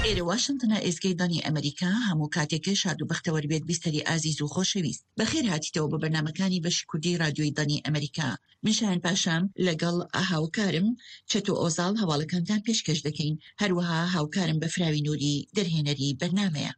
ئێرە واشنتنە ئێزگەی دەنگی ئەمریکا هەموو کاتێکە شاد و بەختەوەر بێت بیستەری ئازیز و خۆشەویست بەخێر هاتیتەوە بۆ بەرنامەکانی بەشی کوردی رادیۆی دەنگی ئەمریکا من شایان پاشام لەگەڵ هاوکارم چەتۆ ئۆزاڵ هەواڵەکانتان پێشکەش دەکەین هەروەها هاوکارم بەفراوی نوری دەرهێنەری بەرنامەیە.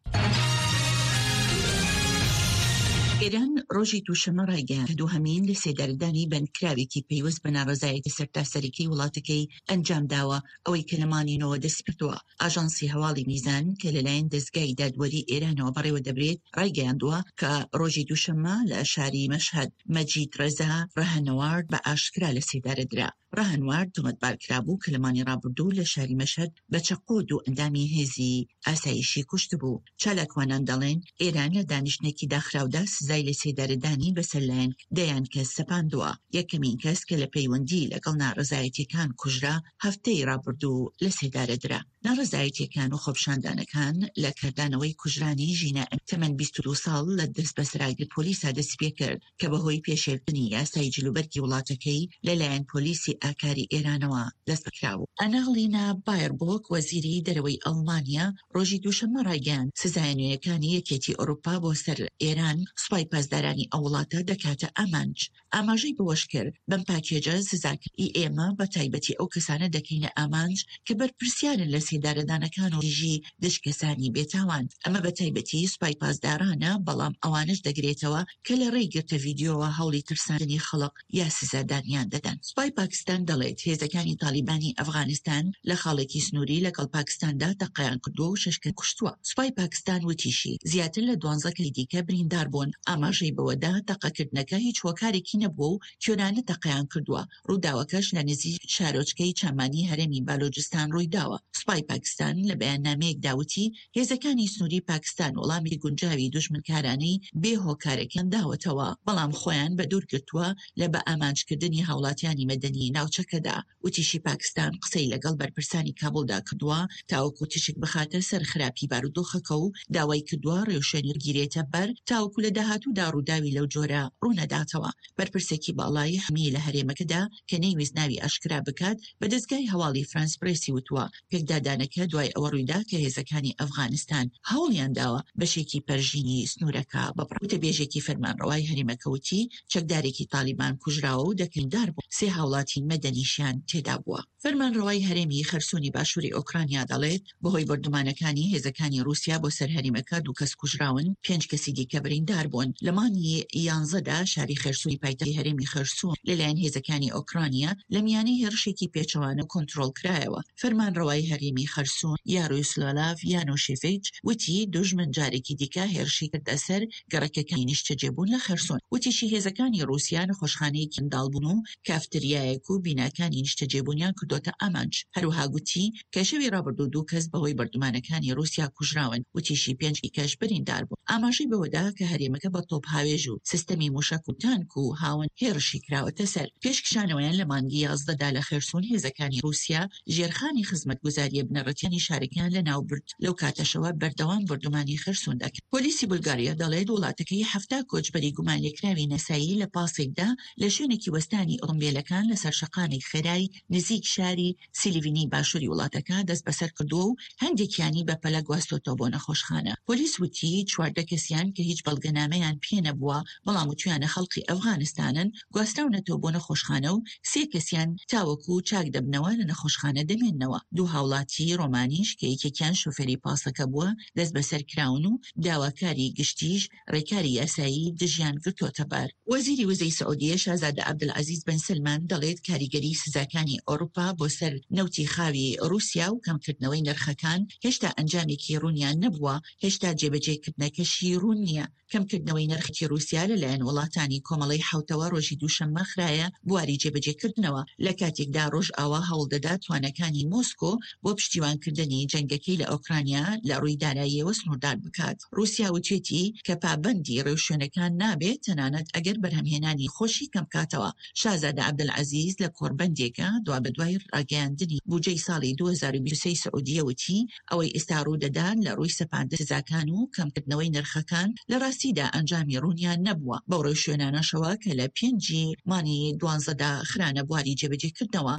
ئێران ڕۆژی دووشەممە ڕایگەیاند کە دووهەمین لەسێدارەدانی بەندکراوێکی پەیوەست بە ناڕەزایەتی سەرتاسەریی وڵاتەکەی ئەنجامداوە، ئەوەی کە لە مانگی نۆوە دەستیپێکردووە. ئاژانسی هەواڵی میزان کە لەلایەن دەزگای دادوەری ئێرانەوە بەڕێوەدەبرێت، ڕایگەیاندووە کە ڕۆژی دووشەممە لە شاری مەشهەد مەجید ڕەزا ڕەهنوارد بە ئاشکرا لەسێدارە درا. ڕەهنوارد تۆمەتبار کرابوو کە لە مانگی ڕابردوو لە شاری مەشهەد بە چەقۆ دوو ئەندامی هێزی ئاسایشی کوشتبوو. چالاکوانان دەڵێن، ئێران لە دانیشتنێکی داخراودا سزای لەسێدارەدانی بەسەر لایەن دەیان کەس سەپاندووە. یەکەمین کەس کە لە پەیوەندی لەگەڵ ناڕەزایەتییەکان کوژرا، هەفتەی ڕابردوو لەسێدارە درا. ناڕەزایەتییەکان و خۆپیشاندانەکان لە کاردانەوەی کوژرانی ژینا ئەمینی تەمەن 22 ساڵ لە دەستبەسەراگرتنی پۆلیسا دەستیپێکرد کە بەهۆی پێشێلکردنی یاسای جلوبەرگی وڵاتەکەی لەلایەن پۆلیسی ئاکاری ئێرانەوە دەستبەسەرکرابوو. ئانالینا بایربۆک وەزیری دەرەوەی ئەڵمانیا ڕۆژی دووشەممە ڕایگەیاند، سزایە نوێیەکانی یەکێتی ئەوروپا بۆ سەر ئێران سوپای پاسدارانی ئەو وڵاتە دەکاتە ئامانج. ئاماژەی بەوەشکرد، بەم پاکێجە سزاکانی ئێمە بە تایبەتی ئەو کەسانە دەکەینە ئامانج کە بەرپرسیارن لە سێدارەدانەکان و تیژی دژ کەسانی بێتاوان، ئەمە بە تایبەتی سوپای پاسدارانە، بەڵام ئەوانەش دەگرێتەوە کە لە ڕێی گرتە ڤیدیۆوە هەوڵی ترساندنی خەڵک یا سزادانیان دەدەن. سوپای پاکستان دەڵێت، هێزەکانی تاڵیبانی ئەفغانستان لە خاڵێکی سنووری لەگەڵ پاکستاندا تەقەیان کردووە و شەش کەسی کوشتووە. سوپای پاکستان وتیشی، زیاتر لە دوانزە کەسی دیکە بریندار بوون. ئاماژەی بەوەدا، تەقەکردنەکە هیچ هۆکارێکی نەبووە و کوێرانە تەقەیان کردووە. ڕووداوەکەش لە نزیک شارۆچکەی چامانی هەرێمی بالۆجستان ڕوویداوە. سوپای پاکستان لە بەیاننامەیەکدا وتی، هێزەکانی سنووری پاکستان وەڵامی گونجاوی دوژمنکارانەی بێ هۆکارەکەیان داوەتەوە، بەڵام خۆیان بەدوور گرتووە لە بەئامانجکردنی هاوڵاتیانی مەدەنی ناوچەکەدا. وتیشی پاکستان قسەی لەگەڵ بەرپرسانی کابوڵدا کردووە تاوەکو تیشک بخاتە سەر خراپی بارودۆخەکە و داوای کردووە ڕێوشوێنی بگیرێتە بەر تاوەکو لە داهاتوودا ڕووداوی لەو جۆرە ڕوونەداتەوە. بەرپرسێکی باڵای حکومی لە هەرێمەکەدا کە نەیویست ناوی ئاشکرا بکات بە دەزگای هەواڵی فرانس پرێسی وتووە پێکدادانەکە دوای ئەوە ڕوویدا کە هێزەکانی ئەفغانستان هەوڵیان داوە بەشێکی پەرژینی سنوورەکە ببڕن. وتەبێژێکی فەرمانڕەوای هەرێمەکە وتی چەکدارێکی تاڵیبان کوژراوە و دە بریندار بوون، سێ هاوڵاتی مەدەنیشیان تێدابووە. فەرمانڕەوای هەرێمی خەرسونی باشووری ئۆکرانیا دەڵێت، بەهۆی بۆردومانەکانی هێزەکانی ڕووسیا بۆ سەر هەرێمەکە دوو کەس کوژراون، پێنج کەسی دیکە بریندار بوون. لە مانگی یانزەدا شاری خێرسونی پایتەختی هەرێمی خێرسون لەلایەن هێزەکانی ئۆکرانیا لە میانەی هێڕشێکی پێچەوانە کۆنترۆڵکرایەوە. فەرمانڕەوای هەرێمی خەرسون یارۆسلاڤ یانۆشێڤیچ وتی، دوژمن جارێکی دیکە هێرشی کردە سەر گەڕەکەکانی نیشتەجێبوون لە خێرسۆن. وتیشی هێزەکانی ڕووسیا نەخۆشخانەیەکی منداڵبوون و کافتریایەک و بیناکانی نیشتەجێبوونیان کردۆتە ئامانج. هەروەها گوتی کە شەوی ڕابردوو دوو کەس بەهۆی بۆردومانەکانی ڕووسیا کوژراون. وتیشی پێنج کەش بریندار بوون. ئاماژەی بەوەدا کە هەرێمەکە بە تۆپهاوێژ و سیستەمی موشەک و تانک و هاوەن هێڕشی کراوەتە سەر. پێش کشانەوەیان لە مانگی 11 دا لە خێرسون هێزەکانی ڕووسیا ژێرخانی خزمەتگوزارییە بنەڕەتییەکانی شارەکەیان لەناوبرد، لەو کاتەشەوە بەردەوام بۆردومانی خێرسون دەکەن. پۆلیسی بولگاریا دەڵێت، وڵاتەکەی 70 کۆچبەری گومانلێکراوی نەسایی لە پاسێکدا لە شوێنێکی وەستانی ئۆتۆمبێلەکان لەسەر شەقامێک خێرای نزیک شاری سیلیڤنی باشووری وڵاتەکە دەستبەسەر کردووە و هەندێکیانی بەپەلە گواستۆتەوە بۆ نەخۆشخانە. پۆلیس وتی، 14 کەسیان کە هیچ بەڵگەنامەیان پێنەبووە، بەڵام وتویانە خەڵقی ئەفغانستانن، گواستراونەتەوە بۆ نەخۆشخانە و سێ کەسیان تاوەکو چاک دەبنەوە لە نەخۆشخانە دەمێننەوە. دوو هاوڵاتیی ڕۆمانیش کە یەکێکیان شۆفێری پاسەکە بووە دەستبەسەر کراون و داواکاری گشتیش ڕێکاری یاسایی دژیان گرتۆتەبەر. وەزیری وزەی سعودیە شازادە عەبدولعەزیز بن سەلمان دەڵێت کاریگەریی سزاکانی ئەوروپا بۆ سەر نەوتی خاوی ڕووسیا و کەمکردنەوەی نرخەکان هێشتا ئەنجامێکی ڕوونیان نەبووە، هێشتا جێبەجێکردنەکەشی ڕوون نییە. کەمکردنەوەی نرخی ڕووسیا لەلایەن وڵاتانی کۆمەڵەی حەوتەوە ڕۆژی دووشەممە خرایە بواری جێبەجێکردنەوە، لە کاتێکدا ڕۆژئاوا هەوڵدەدات تواناکانی مۆسکۆ بۆ پشتیوانکردنی جەنگەکەی لە ئۆکرانیا لە ڕووی داراییەوە سنووردار بکات. ڕووسیا وتوێتی کە پابەندی ڕێوشوێنەکان نابێت تەنانەت ئەگەر بەرهەمهێنانی خۆشی کەمبکاتەوە. شازادە عەبدولعەزیز لە کۆڕبەندێکا دوابەدوای ڕاگەیاندنی بوجەی ساڵی 2023 سعودیە وتی، ئەوەی ئێستا ڕوودەدات لە ڕووی سەپاندنی سزاکان و کەمکردنەوەی نرخەکان لە ڕاستیدا ئەنجامی ڕوونیان نەبووە، بەو ڕێوشوێنانەشەوە کە لە پێنجی مانگی دوانزەدا خرانە بواری جێبەجێکردنەوە.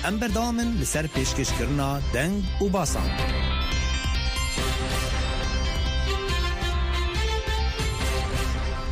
ئەم بەردەوامن لەسەر پێشکەشکردنا دەنگ و باسان.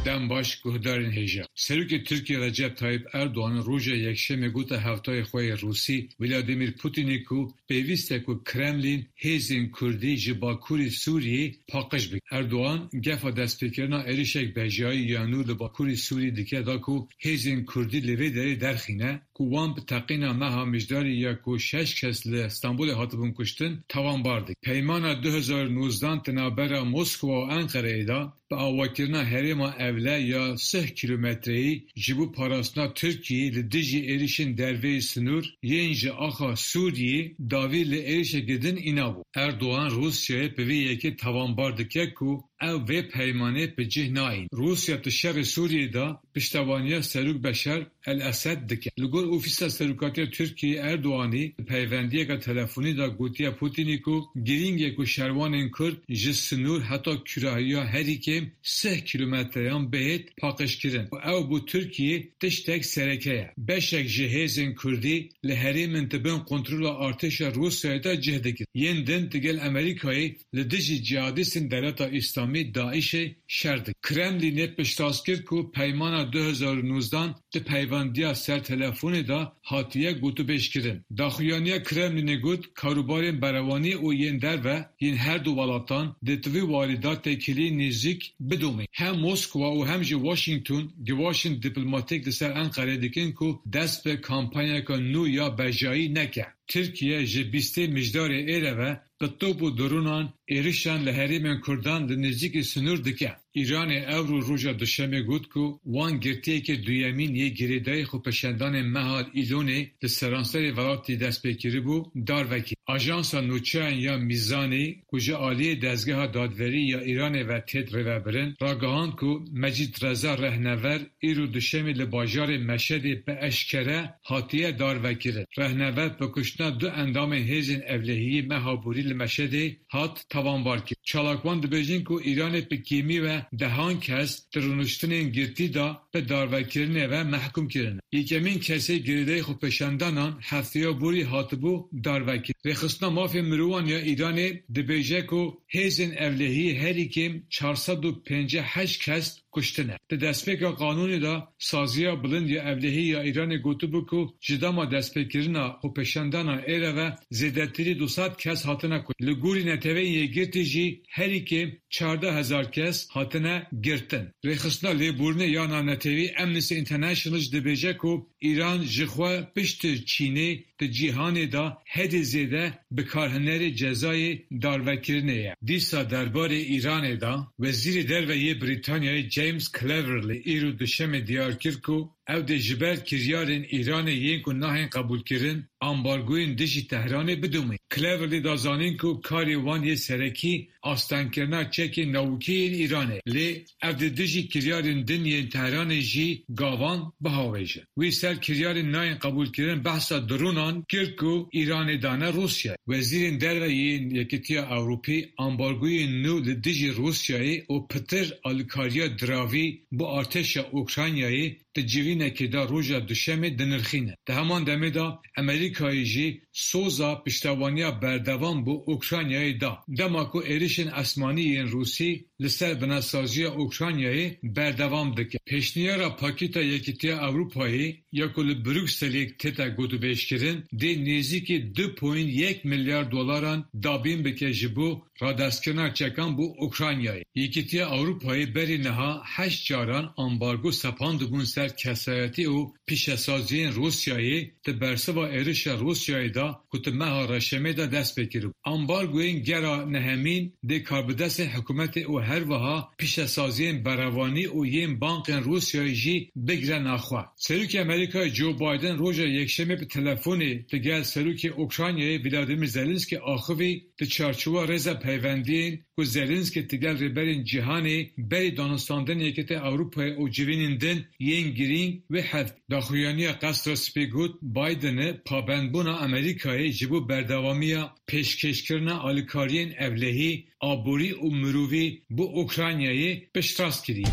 Dem baş guhdarên hêja. Serokê Tirkiyê Recep Tayyip Erdogan roja Yekşemê gote hevtayê xwe yê Rûsî Vladimir Putinê ku pêwîst e ku Kremlîn hêzên Kurdî ji Bakurê Sûriyê paqij bike. Erdogan gefa destpêkirina êrişek bejayî ya nû li Bakurê Sûriyê dike da ku hêzên Kurdî li vê derê derxîne ku wan bi teqîna meha Mijdarê ya ku şeş kes li Stenbolê hatibûn kuştin tawanbar dike. Peymana 2019 di navbera Moskova û Enqereyê de bi avakirina herêma ewle ya sih kîlometreyî ji bo parastina Tirkiyê li dijî êrişên derveyî sinûr yên ji axa Sûriyê dawî li êrişeke din înabû. Erdogan Rûsyayê bi vê yekê tawanbar dike ku ew vê peymanê bi cih nayîne. Rûsya di şerê Sûriyê de piştevaniya Serok Beşar el-Esed dike. Li gor Ofîsa Serokatiya Tirkiyeyê Erdoganî di peywendiyeke telefonî de gotiye Putinî ku girîng e ku şervanên Kurd ji sinûr heta kûrahiya herî kêm sih kîlometreyan bihêt paqijkirin û ew bo Tirkiyeyê tiştek sereke ye. Beşek ji hêzên Kurdî li herêmên di bin kontrola artêşa Rûsyayê de cih digirin. Yên din digel Amerîkayê li dijî cîhadîstên Dewleta Îslamî DAIŞ'ê şer dikin. Kremlînê piştrast kir ku peymana 2019 di peywendiya ser telefonê de hatiye gotûbêjkirin. Daxuyaniya Kremlînê got karûbarên berevanî û yên derve yên her du welatan dê di vî warî de têkiliyên nêzîk bidomîn. Hem Moskwa û hem jî Washington givaşên dîplomatîk li ser Enqereyê dikin ku dest bi kampanyayeke nû ya bejayî neke. Tirkiye ji bîstê Mijdarê êre ve bi top û dronan êrişan li herêmên Kurdan li nêzîkî sinûr dike. Îranê ewro roja Duşemê got ku wan girtiyekê duyemîn yê girêdayî xwepêşandanên meha Îlonê li seranserê welatî dest pê kiribû darve kir. Ajansa Nûçeyan ya Mîzanê ku ji aliyê Dezgeha Dadwerî ya Îranê ve têt rêvebirin, ragihand ku Mecîd Reza Rehnever îro Duşemê li bajarê Meşedê bi eşkere hatiye darvekirin. Rehnever bi kuştina du endamên hêzên ewlehiyê meha borî li Meşedê hat tawanbarkirin. Çalakvan dibêjin ku Îranê bi kêmî ve dehan kes di rûniştinên girtî de bi darvekirinê ve mehkûm kirine. Yekemîn kesê girêdayî xwepêşandanan hefteya borî hatibû darvekirin. Rêxistina Mafên Mirovan ya Îranê dibêje ku hêzên ewlehiyê herî kêm 458 kes kuştine. Di destpêka qanûnê de Saziya Bilind ya Ewlehî ya Îranê gotibû ku ji dema destpêkirina xwepêşandana êre ve zêdetirî 200 kes hatine kuştin. Li gorî Neteweyên Yekgirtî jî herî kêm 14,000 kes hatine girtin. Rêxistina Lêborînê ya Navnetewî Amnesty International jî dibêje ku Îran ji xwe piştî Çînê di cîhanê de herî zêde bikarhinerê cezayê darvekirinê ye. Dîsa derbarê Îranê de Wezîrê Derve yê Brîtanyayê James Cleverly îro Duşemê diyar kir ku ew dê ji ber kiryarên Îranê yên ku nahên qebûlkirin ambargoyên dijî Tehranê bidomîn. Cleverly da zanîn ku karê wan yê serekî astengkirina çekên navokî yên Îranê lê ev dê dijî kiryarên din yên Tehranê jî gavan bihavêjin. Wî ser kiryarên nayên qebûlkirin behsa dronan kir ku Îranê dane Rûsyayê. Wezîrên Derve yên Yekîtiya Ewropî ambargoyên nû li dijî Rûsyayê û pitir alîkariya diravî bo artêşa Ukraynayê di civînekê de roja Duşemê dinirxîne. Di heman demê de Amerîkayê jî soza piştevaniya berdewam bo Ukraynayê da. Dema ku êrişên esmanî yên Rûsî li ser binesaziya Ukraynayê berdewam dike. Pêşniyara Pakêta Yekîtiya Ewropayê ya ku li Brukselê tête gotûbêjkirin dê nêzîkî 2.1 milyar dolaran dabîn bike ji bo radestkirina çekan bo Ukraynayê. Yekîtiya Ewropayê berî niha heşt caran ambargo sepandibûn ser kesayetî û pîşesaziyên Rûsyayê di bersiva êrişa Rûsyayê de ku di meha Reşemê de dest pê kiribû. Ambargoyên gera nehemîn dê karbidestên hikûmetê û her wiha pîşesaziyên berevanî û yên bankên Rûsyayê jî bigire naxwe. Serokê Amerîkayê Joe Biden roja Yekşemê bi telefonê digel Serokê Ukraynayê Vladimir Zelenskiy axivî di çarçova rêza peywendiyên ku Zelenskiy digel rêberên cîhanê berî danûstandinên Yekîtiya Ewropayê û civînên din yên girîng wê heft. Daxuyaniya Qesra Spî got Bidenê pabendbûna Amerîkayê ji bo berdewamiya pêşkêşkirina alîkariyên ewlehî, aborî û mirovî bo Ukraynayê piştrast kiriye.